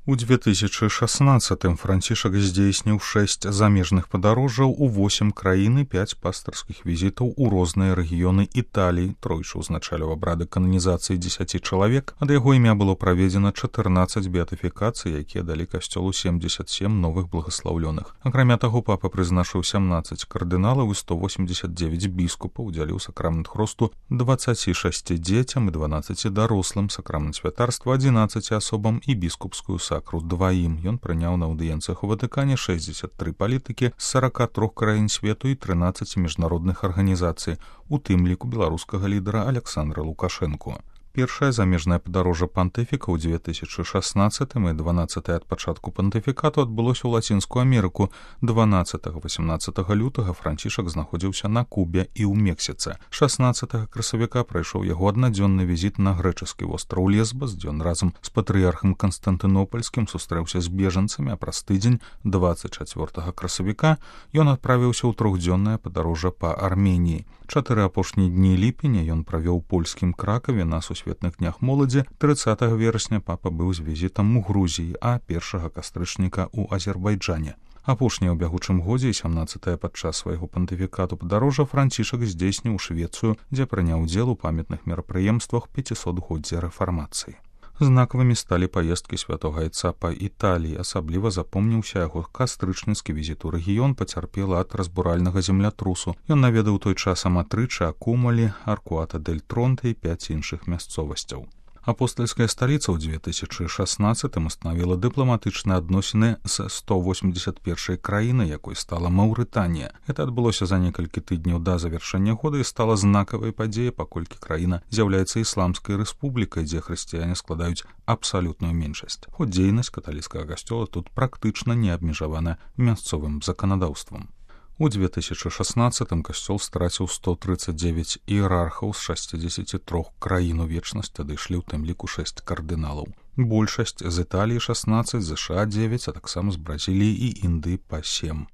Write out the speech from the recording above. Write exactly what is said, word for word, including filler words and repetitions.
У две тысячи шестнадцатым Францішак здзейсніў шэсць замежных падарожжаў у восем краін і пяць пастырскіх візітаў у розныя рэгіёны Італіі, тройчы ўзначаліў абрады кананізацыі дзесяці чалавек, ад яго імя было праведзена чатырнаццаць беатыфікацый, якія далі касцёлу семдзесят сем новых благаслаўлёных. Акрамя таго, папа прызначыў сямнаццаць кардыналаў і сто восемьдесят девять біскупаў, удзяліў сакрамент хросту дваццаці шасці дзецям і дванаццаці дарослым, сакрамент святарства адзінаццаці асобам і біскупскую сакрамент дваім. Ён прыняў на аўдыенцыях у Ватыкане шэсцьдзесят тры палітыкі з сорока трох краін свету і трынаццаці міжнародных арганізацый, у тым ліку беларускага лідара Аляксандра Лукашэнку. Першае замежнае падарожжа пантыфіка ў две тысячи шестнадцатым і дванаццатае ад пачатку пантыфікату адбылося ў Лацінскую Амерыку. дванаццатага-васямнаццатага лютага Францішак знаходзіўся на Кубе і ў Мексіцы. шаснаццатага красавіка прайшоў яго аднадзённы візіт на грэчаскі востраў Лесбас, дзе ён разам з патрыярхам Канстантынопальскім сустрэўся з бежанцамі, а праз тыдзень дваццаць чацвёртага красавіка ён адправіўся ў трохдзённае падарожжа па Арменіі. Чатыры апошнія дні ліпеня ён правёў у польскім Кракаве на сусветных днях моладзі. трыццатага верасня папа быў з візітам у Грузіі, а першага кастрычніка ў Азербайджане. Апошняе ў бягучым годзе і сямнаццатае падчас свайго пантыфікату падарожжа Францішак здзейсніў Швецыю, дзе прыняў удзел у памятных мерапрыемствах пяцісотгоддзя рэфармацыі. Знакавымі сталі паездкі святога айца па Італіі, асабліва запомніўся яго кастрычніцкі візіт у рэгіён, пацярпела ад разбуральнага землятрусу. Ён наведаў той час Аматрычы, Акумалі, Аркуата дель Тронте і пяць іншых мясцовасцяў. Апостальская сталіца ў две тысячи шестнадцатым установіла дыпламатычныя адносіны з сто восемьдесят першай краінай, якой стала Маўрытанія. Гэта адбылося за некалькі тыдняў да завяршэння года і стала знакавай падзеяй, паколькі краіна з'яўляецца ісламскай рэспублікай, дзе хрысціяне складаюць абсалютную меншасць. Хоць дзейнасць каталіцкага касцёла тут практычна не абмежавана мясцовым заканадаўствам. У две тысячи шестнадцатым касцёл страціў сто тридцать девять іерархаў з шасцідзесяці трох краін у вечнасць, адышлі ў тым ліку шэсць кардыналаў. Большасць з Італіі шаснаццаць, ЗША дзевяць, а таксама з Бразіліі і Індыі па сем.